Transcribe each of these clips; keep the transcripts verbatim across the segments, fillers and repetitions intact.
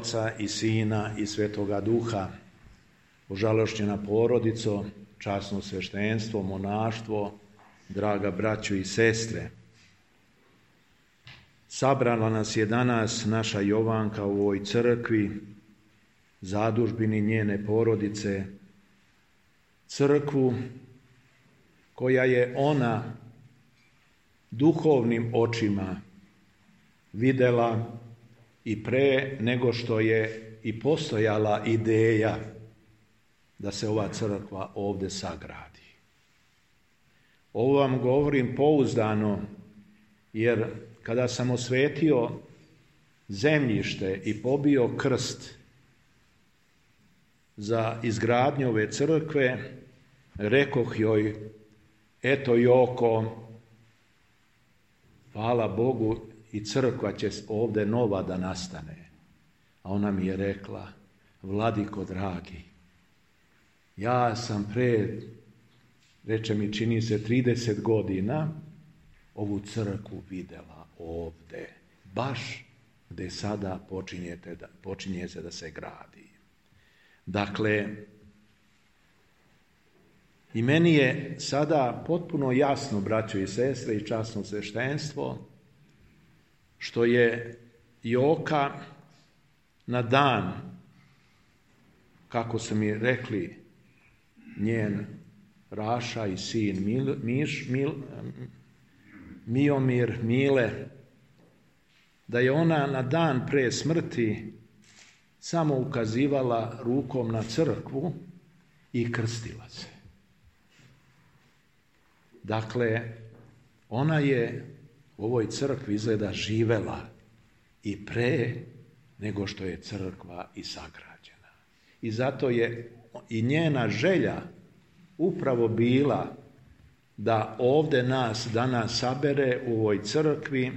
Oca i Sina i Svetoga Duha. Ožalošćena porodico, časno sveštenstvo, monaštvo, draga braćo i sestre. Sabrala nas je danas naša Jovanka u ovoj crkvi, zadužbini njene porodice, crkvu koja je ona duhovnim očima videla i pre nego što je i postojala ideja da se ova crkva ovdje sagradi. Ovo vam govorim pouzdano, jer kada sam osvetio zemljište i pobio krst za izgradnju ove crkve, rekoh joj, eto Joko, hvala Bogu, i crkva će ovdje nova da nastane. A ona mi je rekla, Vladiko dragi, ja sam pre, reče mi, čini se trideset godina, ovu crkvu videla ovdje, baš gdje sada počinjete da, počinje se da se gradi. Dakle, i meni je sada potpuno jasno, braćo i sestre i časno sveštenstvo, što je Joka na dan, kako su mi rekli njen Raša i sin Mil, Miš, Mil, Miomir, Mile, da je ona na dan pre smrti samo ukazivala rukom na crkvu i krstila se. Dakle, ona je u ovoj crkvi izgleda živela i pre nego što je crkva i sagrađena. I zato je i njena želja upravo bila da ovdje nas danas sabere u ovoj crkvi,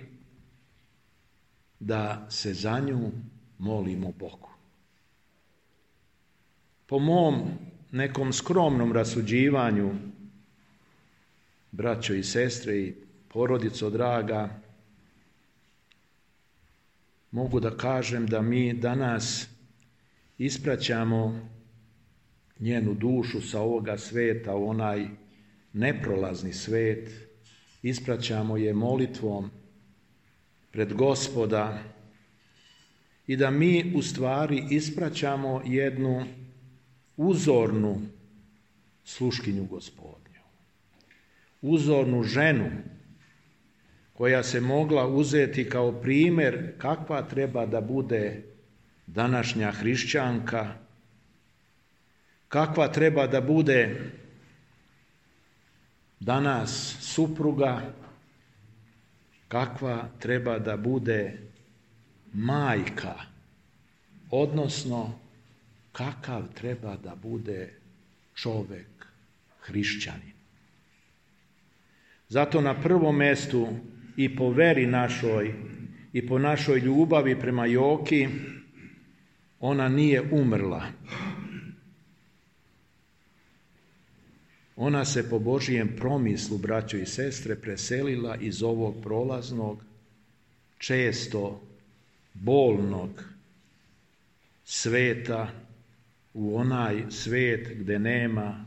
da se za nju molimo Bogu. Po mom nekom skromnom rasuđivanju, braćo i sestre i porodico draga, mogu da kažem da mi danas ispraćamo njenu dušu sa ovoga sveta u onaj neprolazni svet, ispraćamo je molitvom pred Gospoda i da mi u stvari ispraćamo jednu uzornu sluškinju Gospodnju, uzornu ženu koja se mogla uzeti kao primjer kakva treba da bude današnja hrišćanka, kakva treba da bude danas supruga, kakva treba da bude majka, odnosno kakav treba da bude čovek, hrišćanin. Zato na prvom mjestu i po veri našoj i po našoj ljubavi prema Joki, ona nije umrla. Ona se po Božijem promislu, braćo i sestre, preselila iz ovog prolaznog, često bolnog sveta u onaj svet gdje nema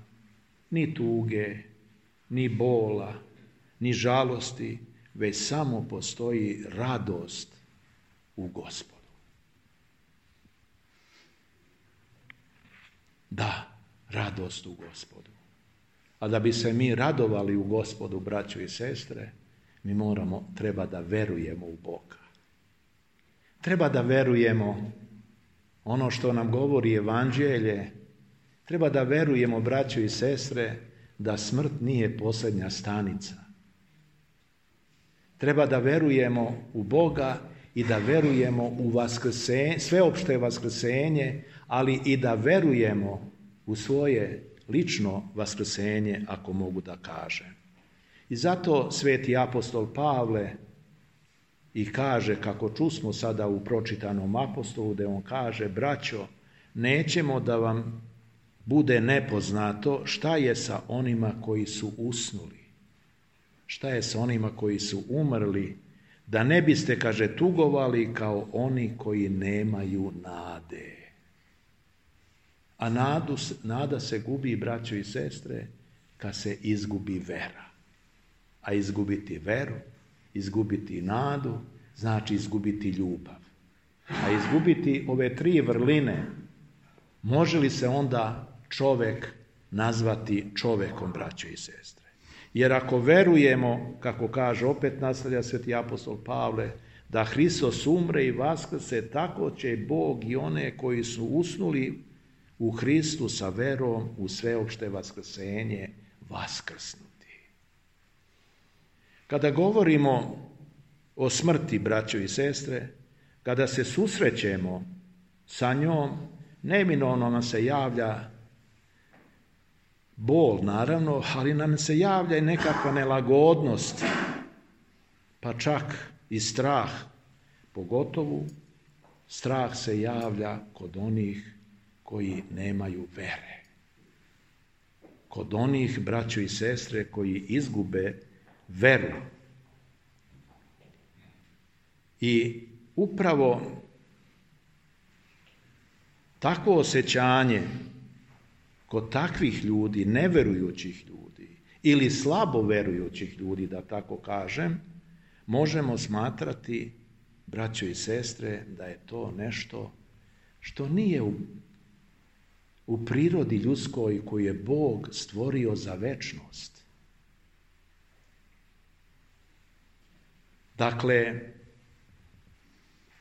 ni tuge, ni bola, ni žalosti, već samo postoji radost u Gospodu. Da, radost u Gospodu. A da bi se mi radovali u Gospodu, braćo i sestre, mi moramo, treba da verujemo u Boga. Treba da verujemo ono što nam govori Evanđelje. Treba da verujemo, braćo i sestre, da smrt nije posljednja stanica. Treba da verujemo u Boga i da verujemo u vaskrsenje, sveopšte vaskrsenje, ali i da verujemo u svoje lično vaskrsenje, ako mogu da kažem. I zato sveti apostol Pavle i kaže, kako čusmo sada u pročitanom apostolu, da on kaže, braćo, nećemo da vam bude nepoznato šta je sa onima koji su usnuli, šta je sa onima koji su umrli, da ne biste, kaže, tugovali kao oni koji nemaju nade. A nadu, nada se gubi, braćo i sestre, kad se izgubi vera. A izgubiti veru, izgubiti nadu, znači izgubiti ljubav. A izgubiti ove tri vrline, može li se onda čovjek nazvati čovjekom, braćo i sestre? Jer ako verujemo, kako kaže, opet nastavlja sveti apostol Pavle, da Hristos umre i vaskrse, tako će Bog i one koji su usnuli u Hristu sa verom u sveopšte vaskrsenje vaskrsnuti. Kada govorimo o smrti, braćo i sestre, kada se susrećemo sa njom, neminovno nam se javlja bol, naravno, ali nam se javlja i nekakva nelagodnost, pa čak i strah. Pogotovo strah se javlja kod onih koji nemaju vere. Kod onih, braćo i sestre, koji izgube veru. I upravo takvo osjećanje kod takvih ljudi, neverujućih ljudi ili slabo verujućih ljudi, da tako kažem, možemo smatrati, braćo i sestre, da je to nešto što nije u, u prirodi ljudskoj koju je Bog stvorio za večnost. Dakle,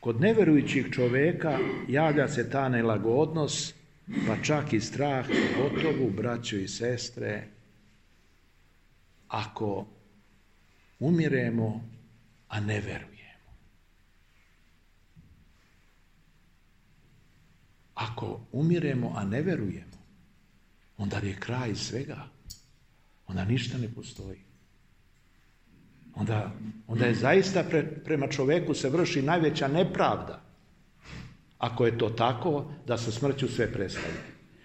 kod neverujućih čovjeka javlja se ta nelagodnost, pa čak i strah, gotovo, braćo i sestre, ako umiremo, a ne verujemo. Ako umiremo, a ne verujemo, onda je kraj svega. Onda ništa ne postoji. Onda, onda je zaista pre, prema čovjeku se vrši najveća nepravda. Ako je to tako, da sa smrću sve prestaje.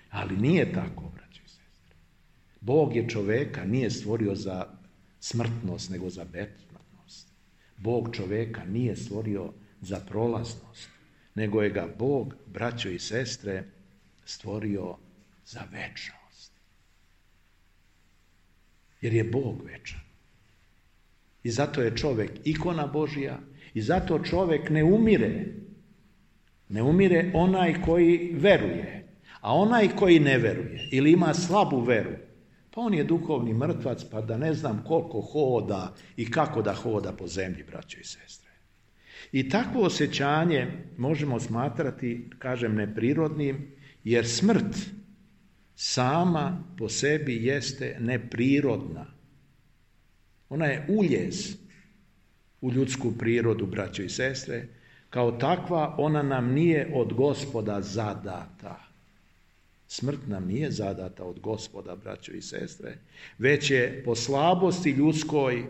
Ali nije tako, braćo i sestre. Bog je čovjeka nije stvorio za smrtnost, nego za besmrtnost. Bog čovjeka nije stvorio za prolaznost, nego je ga Bog, braćo i sestre, stvorio za večnost. Jer je Bog večan. I zato je čovjek ikona Božja i zato čovjek ne umire. Ne umire onaj koji veruje, a onaj koji ne veruje ili ima slabu veru, pa on je duhovni mrtvac, pa da ne znam koliko hoda i kako da hoda po zemlji, braćo i sestre. I takvo osjećanje možemo smatrati, kažem, neprirodnim, jer smrt sama po sebi jeste neprirodna. Ona je uljez u ljudsku prirodu, braćo i sestre. Kao takva ona nam nije od Gospoda zadata. Smrt nam nije zadata od Gospoda, braćo i sestre, već je po slabosti ljudskoj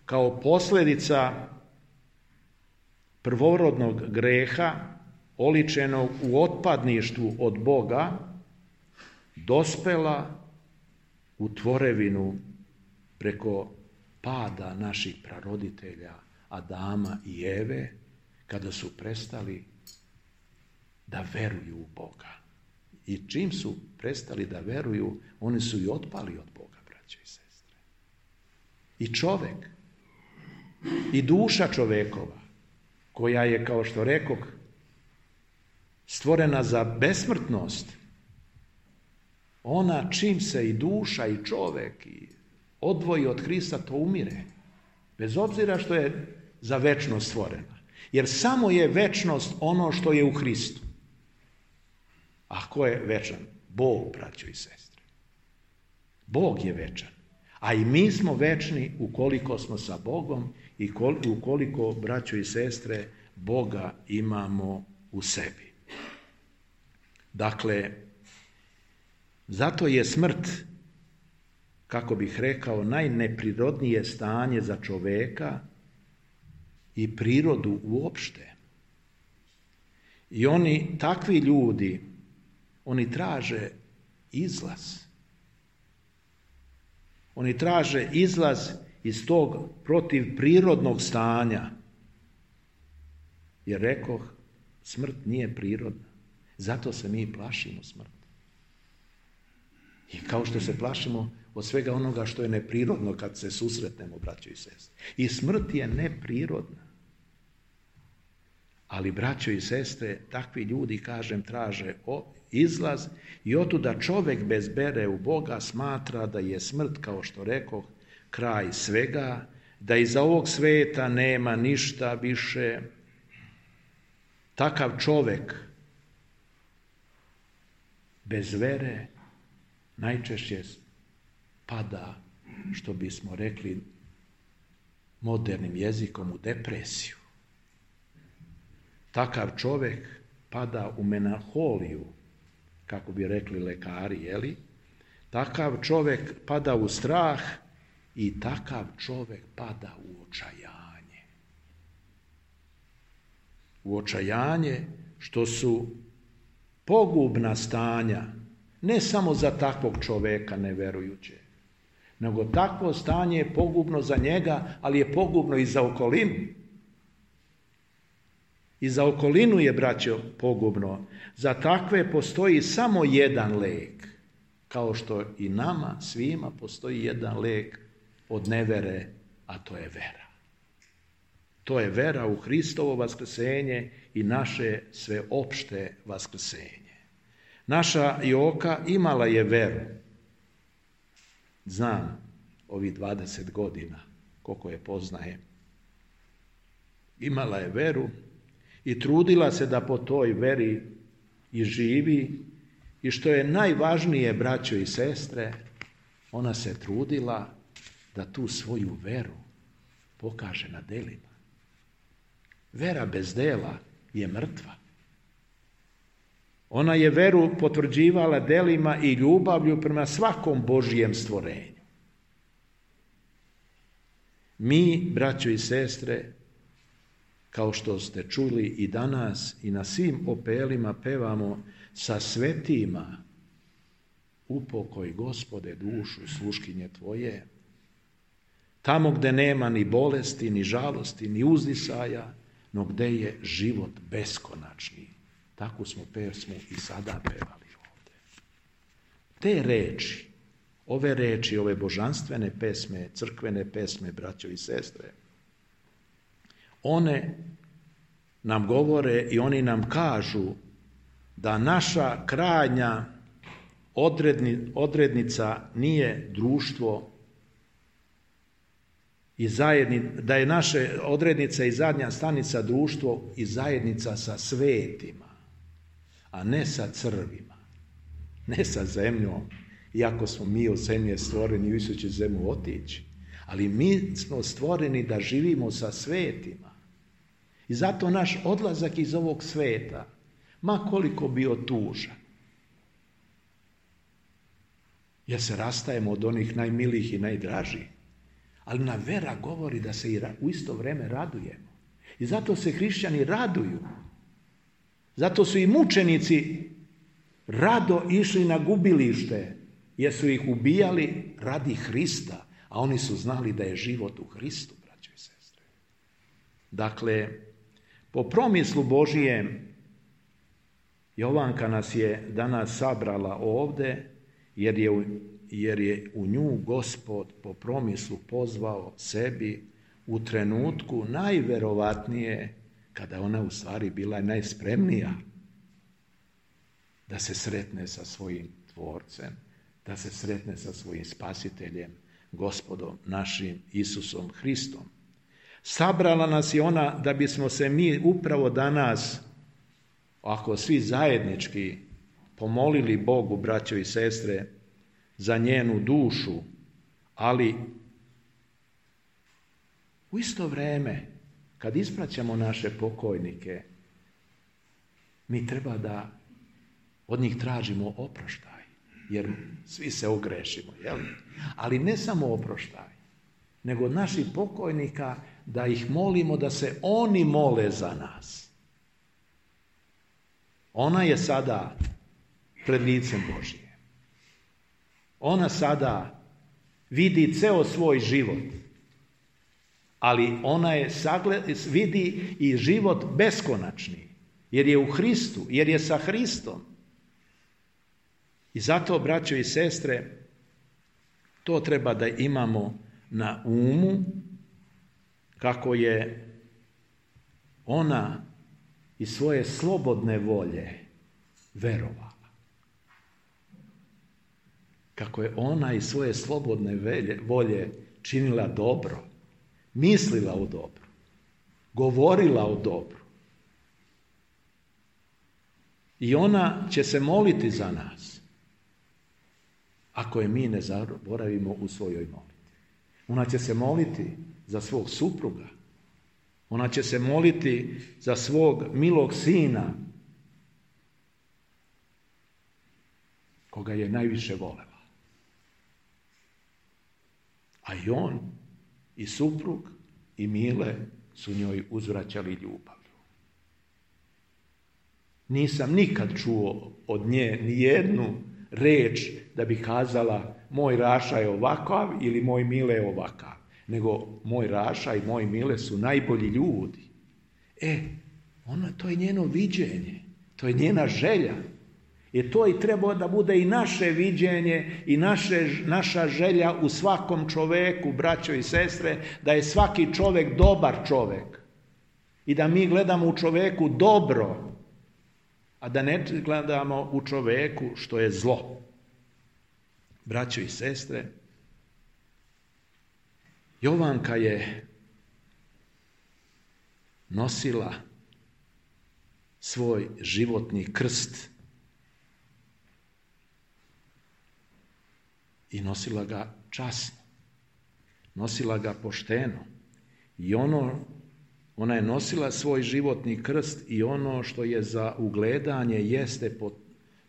kao posljedica prvorodnog greha, oličenog u otpadništvu od Boga, dospela u tvorevinu preko pada naših praroditelja Adama i Eve, kada su prestali da veruju u Boga. I čim su prestali da veruju, oni su i otpali od Boga, braćo i sestre. I čovjek, i duša čovjekova, koja je, kao što rekoh, stvorena za besmrtnost, ona čim se i duša i čovjek i odvoji od Hrista, to umire. Bez obzira što je za večnost stvorena. Jer samo je večnost ono što je u Hristu. A ko je večan? Bog, braćo i sestre. Bog je večan. A i mi smo večni ukoliko smo sa Bogom i ukoliko, braćo i sestre, Boga imamo u sebi. Dakle, zato je smrt, kako bih rekao, najneprirodnije stanje za čovjeka i prirodu uopšte. I oni, takvi ljudi, oni traže izlaz. Oni traže izlaz iz tog protivprirodnog stanja Jer rekoh, smrt nije prirodna. Zato se mi plašimo smrti. I kao što se plašimo od svega onoga što je neprirodno kad se susretnemo, braćo i sestre. I smrt je neprirodna. Ali, braćo i sestre, takvi ljudi, kažem, traže izlaz i otuda čovjek bez vere u Boga smatra da je smrt, kao što rekoh, kraj svega, da iza ovog sveta nema ništa više. Takav čovjek bez vere najčešće pada, što bismo rekli modernim jezikom, u depresiju. Takav čovjek pada u melanholiju, kako bi rekli lekari, jeli? Takav čovjek pada u strah i takav čovjek pada u očajanje. U očajanje, što su pogubna stanja, ne samo za takvog čovjeka neverujućeg, nego takvo stanje je pogubno za njega, ali je pogubno i za okolinu. I za okolinu je, braćo, pogubno. Za takve postoji samo jedan lek, kao što i nama svima postoji jedan lek od nevere, a to je vera. To je vera u Hristovo vaskrsenje i naše sveopšte vaskrsenje. Naša Joka imala je veru. Znam, ovih dvadeset godina, koliko je poznajem. Imala je veru i trudila se da po toj veri i živi. I što je najvažnije, braćo i sestre, ona se trudila da tu svoju veru pokaže na delima. Vera bez dela je mrtva. Ona je veru potvrđivala delima i ljubavlju prema svakom Božijem stvorenju. Mi, braćo i sestre, kao što ste čuli i danas i na svim opelima pevamo, sa svetima upokoj, Gospode, dušu sluškinje Tvoje. Tamo gde nema ni bolesti, ni žalosti, ni uzdisaja, no gde je život beskonačni. Takvu smo pesmu i sada pevali ovdje. Te reči, ove reči, ove božanstvene pesme, crkvene pesme, braćo i sestre, one nam govore i oni nam kažu da naša krajnja odredni, odrednica nije društvo i zajedni, da je naša odrednica i zadnja stanica društvo i zajednica sa svetima, a ne sa crvima, ne sa zemljom, iako smo mi od zemlje stvoreni, više će zemlju otići, ali mi smo stvoreni da živimo sa svetima. I zato naš odlazak iz ovog sveta, ma koliko bio tužan, jer se rastajemo od onih najmilijih i najdražih, ali na vera govori da se i u isto vrijeme radujemo. I zato se hrišćani raduju. Zato su i mučenici rado išli na gubilište, jer su ih ubijali radi Hrista, a oni su znali da je život u Hristu, braćo i sestre. Dakle, po promislu Božijem, Jovanka nas je danas sabrala ovdje, jer je, u, jer je u nju Gospod po promislu pozvao sebi u trenutku najverovatnije, kada ona u stvari bila najspremnija da se sretne sa svojim tvorcem, da se sretne sa svojim spasiteljem, Gospodom našim Isusom Hristom. Sabrala nas je ona da bismo se mi upravo danas, ako svi zajednički, pomolili Bogu, braćo i sestre, za njenu dušu, ali u isto vrijeme, kad ispraćamo naše pokojnike, mi treba da od njih tražimo oproštaj, jer svi se ogrešimo, jel? Ali ne samo oproštaj, nego od naših pokojnika da ih molimo da se oni mole za nas. Ona je sada pred licem Božije. Ona sada vidi ceo svoj život, ali ona je sagled, vidi i život beskonačni, jer je u Hristu, jer je sa Hristom. I zato, braćo i sestre, to treba da imamo na umu, kako je ona iz svoje slobodne volje verovala. Kako je ona iz svoje slobodne volje činila dobro, mislila o dobru, govorila o dobru. I ona će se moliti za nas, ako je mi ne zaboravimo u svojoj molitvi. Ona će se moliti za svog supruga. Ona će se moliti za svog milog sina, koga je najviše volela. A i on, i suprug, i Mile su njoj uzvraćali ljubavlju. Nisam nikad čuo od nje ni jednu reč da bi kazala moj Raša je ovakav ili moj Mile je ovakav, nego moj Raša i moj Mile su najbolji ljudi. E, ona, to je njeno viđenje, to je njena želja. I to i treba da bude i naše viđenje i naše, naša želja u svakom čoveku, braćo i sestre, da je svaki čovek dobar čovek i da mi gledamo u čoveku dobro, a da ne gledamo u čoveku što je zlo. Braćo i sestre, Jovanka je nosila svoj životni krst i nosila ga časno, nosila ga pošteno. I ono, ona je nosila svoj životni krst i ono što je za ugledanje jeste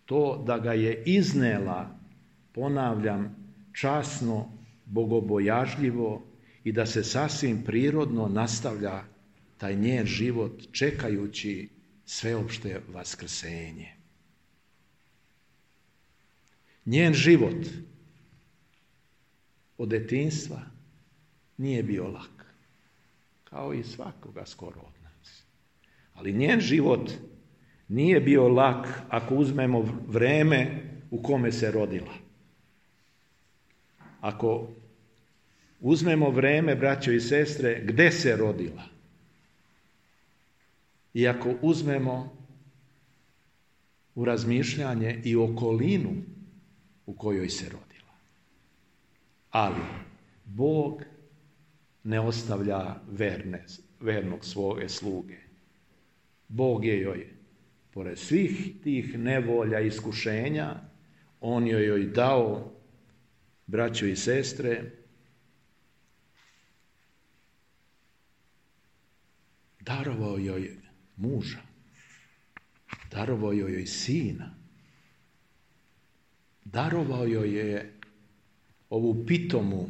to da ga je iznela, ponavljam, časno, bogobojažljivo i da se sasvim prirodno nastavlja taj njen život čekajući sveopšte vaskrsenje. Njen život od detinjstva nije bio lak, kao i svakoga skoro od nas. Ali njen život nije bio lak ako uzmemo vreme u kome se rodila. Ako uzmemo vreme, braćo i sestre, gde se rodila, i ako uzmemo u razmišljanje i okolinu u kojoj se rodila. Ali Bog ne ostavlja verne, vernog svoje sluge. Bog je joj, pored svih tih nevolja i iskušenja, on joj joj dao, braćo i sestre, darovao joj muža, darovao joj sina, darovao joj je ovu pitomu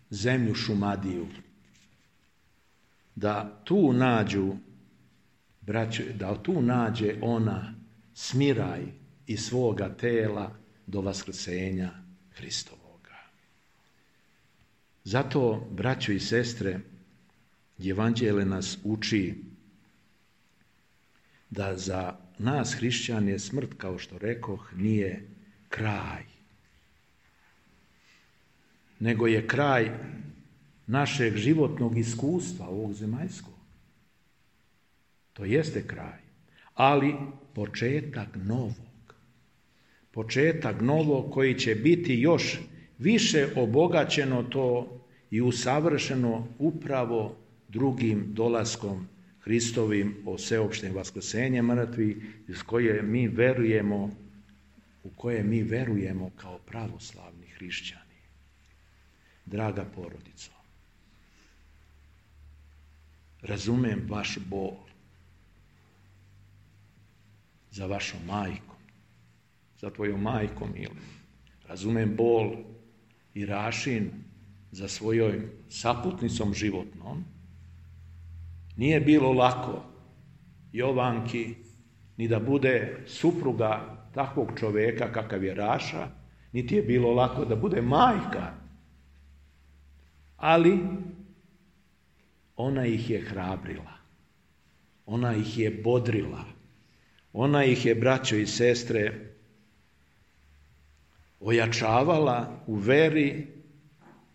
zemlju Šumadiju, da tu nađu, braćo, da tu nađe ona smiraj iz svoga tela do vaskrsenja Hristovoga. Zato, braćo i sestre, Evanđelje nas uči da za nas hrišćane smrt, kao što rekoh, nije kraj, nego je kraj našeg životnog iskustva ovog zemaljskog. To jeste kraj, ali početak novog. Početak novog koji će biti još više obogaćeno to i usavršeno upravo drugim dolaskom Hristovim o sveopštem vaskrsenjem mrtvih, iz koje mi verujemo, u koje mi verujemo kao pravoslavni hrišćani. Draga porodico, razumem vaš bol za vašom majkom, za tvojom majkom, ili razumem bol i Rašin za svojom saputnicom životnom. Nije bilo lako Jovanki ni da bude supruga takvog čoveka kakav je Raša, niti je bilo lako da bude majka. Ali ona ih je hrabrila, ona ih je bodrila, ona ih je, braćo i sestre, ojačavala u veri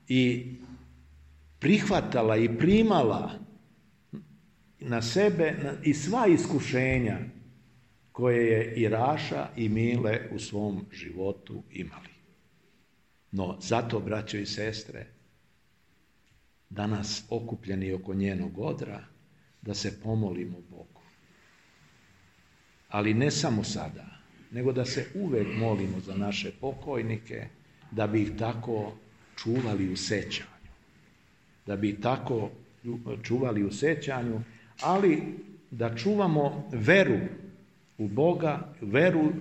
i prihvatala i primala na sebe i sva iskušenja koje je i Raša i Mile u svom životu imali. No, zato, braćo i sestre, danas okupljeni oko njenog odra, da se pomolimo Bogu. Ali ne samo sada, nego da se uvek molimo za naše pokojnike, da bi ih tako čuvali u sećanju. Da bi ih tako čuvali u sećanju, ali da čuvamo veru u Boga, veru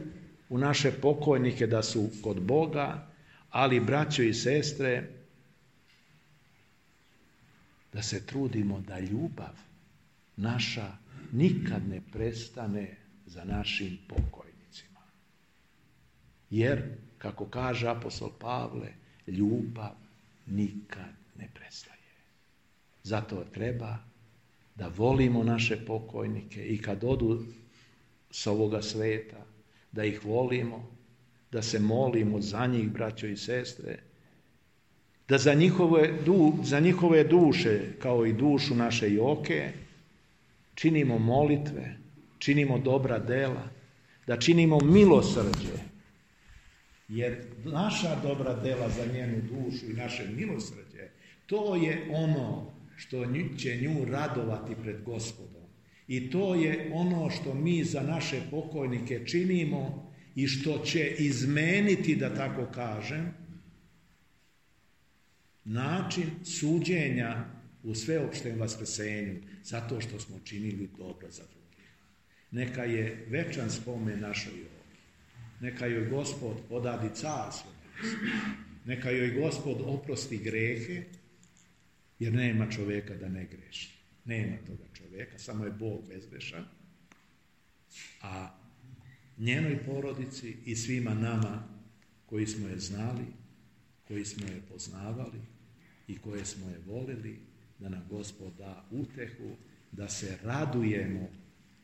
u naše pokojnike da su kod Boga, ali, braćo i sestre, da se trudimo da ljubav naša nikad ne prestane za našim pokojnicima. Jer, kako kaže apostol Pavle, ljubav nikad ne prestaje. Zato treba da volimo naše pokojnike i kad odu s ovoga sveta, da ih volimo, da se molimo za njih, braćo i sestre, da za njihove, du, za njihove duše, kao i dušu naše Joke, činimo molitve, činimo dobra dela, da činimo milosrđe, jer naša dobra dela za njenu dušu i naše milosrđe, to je ono što će nju radovati pred Gospodom. I to je ono što mi za naše pokojnike činimo i što će izmeniti, da tako kažem, način suđenja u sveopštem vaskrsenju, zato što smo činili dobro za drugih. Neka je večan spomen našoj Joki. Neka joj Gospod podadi carstvo. Neka joj Gospod oprosti grehe, jer nema čovjeka da ne greši. Nema toga čovjeka, samo je Bog bezgrešan. A njenoj porodici i svima nama koji smo je znali, koji smo je poznavali i koje smo je volili, da nam Gospod da utehu, da se radujemo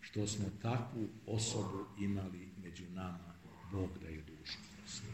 što smo takvu osobu imali među nama. Bog da je dušu prosti.